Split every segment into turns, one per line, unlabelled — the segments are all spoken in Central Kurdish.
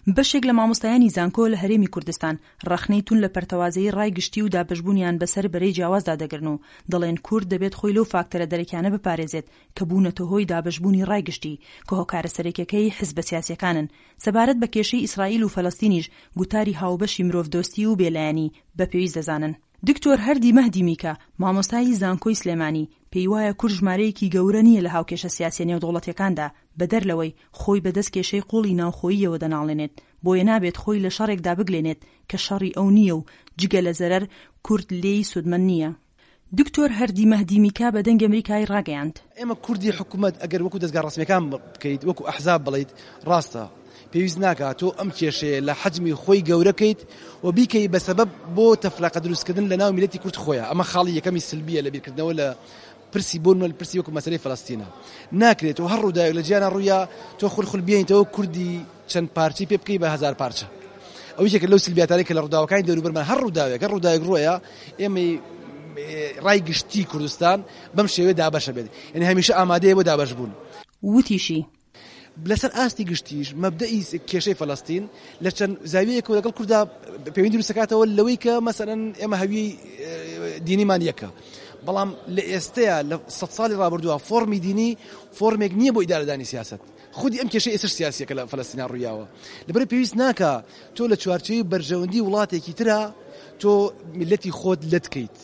بەشێک لە مامۆستایانی زانکۆ لە هەرێمی کوردستان ڕەخنەی توند لە پەرتەوازەیی ڕای گشتی و دابەشبوونیان بەسەر بەرەی جیاوازدا دەگرن و دەڵێن کورد دەبێت خۆی لەو فاکتەرە دەرەکیانە بپارێزێت کە بوونەتە هۆی دابەشبوونی ڕای گشتی کە هۆکارە سەرەکیەکەی حزبە سیاسیەکانن. سەبارەت بە کێشەی ئیسرائیل و فەلەستینیش گوتاری هاوبەشی مرۆڤدۆستی و بێلایەنی بە پێویست دەزانن. دکتۆر هەردی مەهدی میکە، مامۆستای زانکۆی سلێمانی، پێی وایە کورد ژمارەیەکی گەورە نییە لە هاوکێشە سیاسیە نێودەوڵەتیەکاندا، بەدەر لەوەی خۆی بەدەست کێشەی قوڵی ناوخۆییەوە دەناڵێنێت، بۆیە نابێت خۆی لە شەڕێکدا بگلێنێت کە شەڕی ئەو نییە و جگە لە زەرەر کورد لێی سوودمەند نییە. دکتۆر هەردی مەهدی میکا بە دەنگی ئەمریکای ڕاگەیاند.
ئێمە کوردی حکومەت ئەگەر وەکو دەزگا ڕەسمیەکان بکەیت وەکو ئەحزاب بڵێیت ڕاستە پێویست ناکات تۆ ئەم کێشەیە لە حەجمی خۆی گەورە کەیت و بیکەی بە سەبەب بۆ تەفرەقە دروستکردن لە ناو میللەتی کورد خۆیان ئەمە خاڵی یەکەمی سلبیە لە بیرکردنەوە لە پرسی بۆ نمونە پرسی وەکو مەسەلەی فەلەستینە ناکرێت تۆ هەر ڕووداوێک لە جیهانا ڕوویا تۆ خول خول بێنیتەوە کوردی چەند پارچەی پێ بکەی بە هەزار پارچە ئەو یەکێکە لەو سلبیاتانەی کە لە ڕووداوەکانی دەوروبەرمان هەر ڕووداوێک هەر ڕووداوێک ڕووەیە ئێمەی ڕای گشتی کوردستان بەم شێوەیە دابەشە بێت یعنی هەمیشە ئامادەیە بۆ دابەش بوون.
وتیشی،
لەسەر ئاستی گشتیش مەبدەئی کێشەی فەلەستین لە چەند زاویەیەکەوە لەگەڵ کوردا پەیوەندی دروست دەکاتەوە لەوەی کە مەسەلەن ئێمە هەویەی دینیمان یەکە بەڵام لە ئێستەیە لە سەد ساڵی ڕابردووە فۆرمی دینی فۆرمێک نییە بۆ ئیدارەدانی سیاسەت خودی ئەم کێشەی ئێستش سیاسیەکە لە فەلەستینا ڕوویاوە لەبەر پێویست ناکا تۆ لە چوارچێوەی بەرژەوەندی وڵاتێکی ترا تۆ میللەتی خۆت لەت کەیت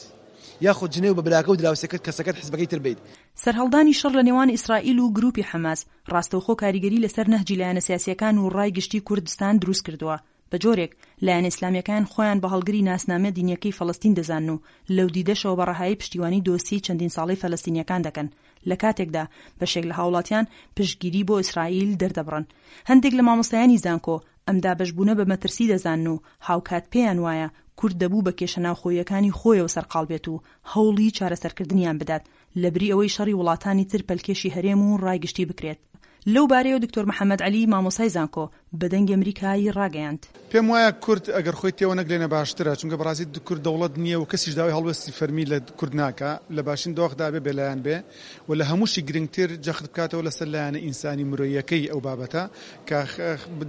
یاخود جنێو بە براکە و دراوسێکەت کەسەکەت حزبەکەی تر بەیت.
سەرهەڵدانی شەڕ لە نێوان ئیسرائیل و گروپی حەماس ڕاستەوخۆ کاریگەری لەسەر نەهجی لایەنە سیاسیەکان و ڕای گشتی کوردستان دروست کردووە بە جۆرێک لایەنە ئیسلامیەکان خۆیان بە هەڵگری ناسنامە دینیەکەی فەلەستین دەزانن و لەو دیدەشەوە بە ڕەهایی پشتیوانی دۆسیەی چەندین ساڵەی فەلەستینیەکان دەکەن لە کاتێکدا بەشێک لە هاوڵاتیان پشتگیری بۆ ئیسرائیل دەردەبڕن. هەندێک لە مامۆستایانی زانکۆ ئەم دابەشبوونە بە مەترسی دەزانن و هاوکات پێیان وایە کورد دەبوو بە کێشە ناوخۆییەکانی خۆیەوە سەرقاڵ بێت و هەوڵی چارەسەرکردنیان بدات لەبری ئەوەی شەڕی وڵاتانی تر پەلکێشی هەرێم و ڕای گشتی بکرێت. لەو بارەیەوە دکتۆر محەمەد عەلی مامۆستای زانکۆ بە دەنگی ئەمریکای ڕاگەیاند.
پێم وایە کورد ئەگەر خۆی تێوە نەگلێنێ باشترە، چونکە بەڕاستی کورد دەوڵەت نییە و کەسیش داوای هەڵوێستی فەرمی لە کورد ناکا، لە باشترین دۆخدا ئەبێ بێلایەن بێ و لە هەمووشی گرنگتر جەخت بکاتەوە لەسەر لایەنە ئینسانی مرۆییەکەی ئەو بابەتە کە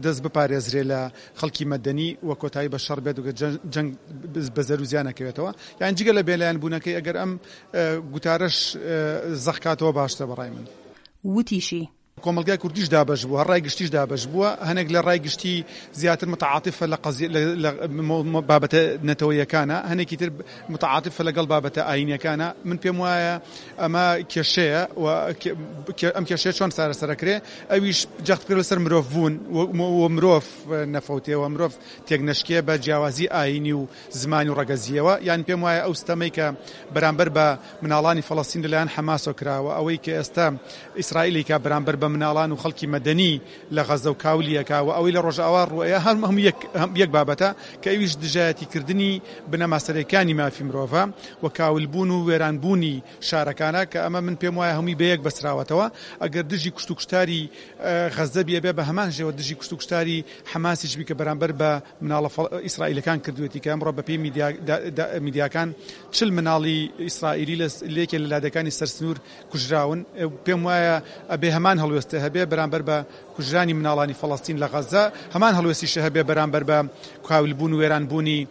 دەست بپارێزرێ لە خەڵکی مەدەنی و کۆتایی بە شەڕ بێت و جەنگ بە زەرو زیان نەکەوێتەوە یان جگە لە بێلایەن بوونەکەی ئەگەر ئەم گوتارەش زەق کاتەوە باشترە بە ڕای من.
وتیشی.
کۆمەڵگای کوردیش دابەش بووە، ڕای گشتیش دابەش بووە، هەنێک لە ڕای گشتی زیاتر متعاتفە لە قەزیە لە بابەتە نەتەوەیەکانە، هەنێکی تر متعاتفە لەگەڵ بابەتە ئایینیەکانە، من پێم وایە ئەمە کێشەیە و ئەم کێشەیە چۆن چارەسەر ئەکرێ ئەویش جەخت بکرێ لەسەر مرۆڤ بوون و مرۆڤ نەفەوتێ و مرۆڤ تێکنەشکێ بە جیاوازی ئایینی و زمانی و ڕەگەزییەوە، یان پێم وایە ئەو ستەمەی کە بەرامبەر بە مناڵانی فەڵەستین لەلایەن حەماسەوە کراوە، ئەوەی کە ئێستا ئیسرائیل ئەیکا بەرامبەر بە مناڵان و خەڵکی مەدەنی لە غەزە و کاولی ئەکا و ئەوەی لە ڕۆژئاوا ڕووئەیا هەموو یەک یەک بابەتە کە ئەویش دژایەتیکردنی بنەما سەرەکییەکانی مافی مرۆڤە و کاولبوون و وێرانبوونی شارەکانە کە ئەمە من پێم وایە هەمووی بەیەک بەستراوەتەوە ئەگەر دژی کوشت و کوشتاری غەزە بی ئەبێ بە هەمان شێوە دژی کوشت و کوشتاری حەماسیش بی کە بەرامبەر بە مناڵە ئیسرائیلەکان کردوێتی کە ئەمڕۆ بەپێی میدیاکان چل مناڵی ئیسرائیلی لە یەکێ لە لادێکانی سەر سنوور کوژراون پێم وایە ئەبێ هەمان هەڵوێستە هەبێ بەرامبەر بە کوژرانی مناڵانی فەڵەستین لە غەزە هەمان هەڵوێستیشە هەبێ بەرامبەر بە کاولبوون و وێرانبوونی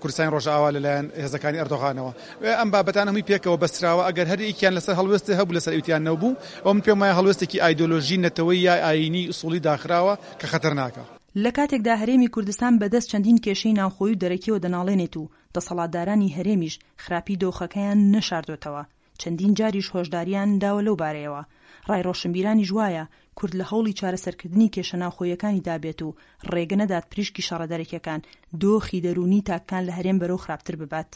کوردستانی ڕۆژئاوا لەلایەن هێزەکانی ئەردۆغانەوە ئەم بابەتانە هەمووی پێکەوە بەستراوە ئەگەر هەر یەکیان لەسەر هەڵوێستێ هەبوو لەسەر ئەویتیان نەبوو ئەو من پێم وایە هەڵوێستێکی ئایدۆلۆژی نەتەوەیی یا ئایینی ئوسوڵی داخراوە کە خەتەرناکە.
لە کاتێکدا هەرێمی کوردستان بەدەست چەندین کێشەی ناوخۆیی و دەرەکیەوە دەناڵێنێت و دەسەڵاتدارانی هەرێمیش خراپی دۆخەکەیان نەشاردۆتەوە، چەندین جاریش هۆشداریان داوە لەو بارەیەوە. ڕای ڕۆشنبیرانیش وایە کورد لە هەوڵی چارەسەرکردنی کێشە ناوخۆییەکانیدا بێت و ڕێگە نەدات پریشکی شەڕە دەرەکیەکان دۆخی دەروونی تاکەکان لە هەرێم بەرەو خراپتر ببات.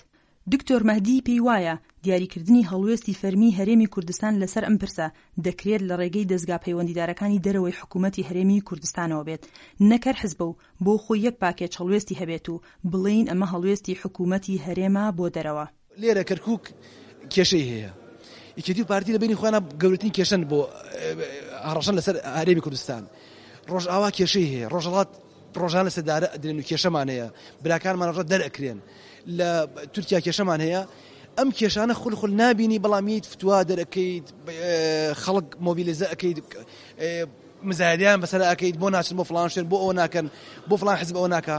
دکتۆر مەهدی پێی وایە، دیاریکردنی هەڵوێستی فەرمیی هەرێمی کوردستان لەسەر ئەم پرسە، دەکرێت لە ڕێگەی دەزگا پەیوەندیدارەکانی دەرەوەی حکوومەتی هەرێمی کوردستانەوە بێت، نەک هەر حزبە و بۆ خۆی یەک پاکێج هەڵوێستی هەبێت و بڵێین ئەمە هەڵوێستی حکوومەتی هەرێمە بۆ دەرەوە.
لێرە کەرکوک کێشەی هەیە یەکێتی و پارتی لە بینی خۆیان گەورەترین کێشەن بۆ هەڕەشەن لەسەر هەرێمی کوردستان ڕۆژئاوا کێشەی هەیە ڕۆژهەڵات ڕۆژان لە سێدارە ئەدرێن و کێشەمان هەیە براکانمان ڕۆژە دەرئەکرێن لە تورکیا کێشەمان هەیە ئەم کێشانە خول خول نابینی بەڵام یت فتوا دەرەکەیت خەڵک مۆبیلیزە ئەەکەیت. مزایدەیان بەسەر ئەکەیت بۆ ناچن بۆ فڵان شوێن بۆ ئەوە ناکەن بۆ فڵان حزب ئەوە ناکا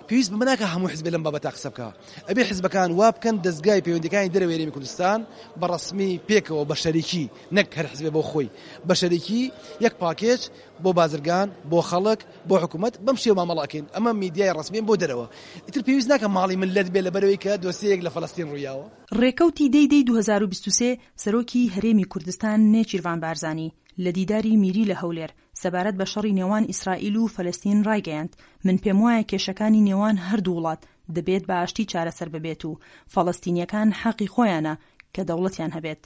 پێویست بەمە ناکا هەموو حزبێ لەم بابەتە قسە بکا ئەبێ حزبەکان وا بکەن دەزگای پەیوەندیەکانی دەرەوەی هەرێمی کوردستان بە ڕەسمی پێکەوە بە شەریکی نەک هەر حزبێ بۆ خۆی بە شەریکی یەک پاکێج بۆ بازرگان بۆ خەڵک بۆ حکوومەت بەم شێوە مامەڵە ئەکەین ئەمە میدیای ڕەسمیە بۆ دەرەوە ئیتر پێویست ناکە ماڵی مللەت بێ لەبەرەوەی کە دۆسیەیەک لە فەلەستین ڕوویاوە.
ڕێکەوتی دەی دەی 2023 سەرۆکی هەرێمی کوردستان نێچیرڤان بارزانی لە دیداری میری لە هەولێر سەبارەت بە شەڕی نێوان ئیسرائیل و فەلەستین ڕایگەیاند، من پێموایە کێشەکانی نێوان هەردوو وڵات دەبێت بە ئاشتی چارەسەر ببێت و فەڵەستینییەکان حەقی خۆیانە کە دەوڵەتیان هەبێت.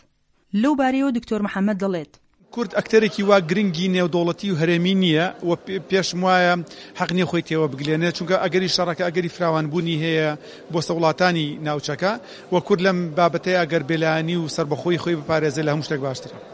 لەو بارەیەوە دکتۆر محەمەد دەڵێت.
کورد ئەکتەرێکی وا گرنگی نێودەوڵەتی و هەرێمی نییە و پێشم وایە حەق نییە خۆی تێوە بگلێنێت، چونکە ئەگەری شەڕەکە ئەگەری فراوانبوونی هەیە بۆ سەر وڵاتانی ناوچەکە و کورد لەم بابەتەیا گەر بێلایەنی و سەربەخۆیی خۆی بپارێزێت لە هەموو شتێک باشترە.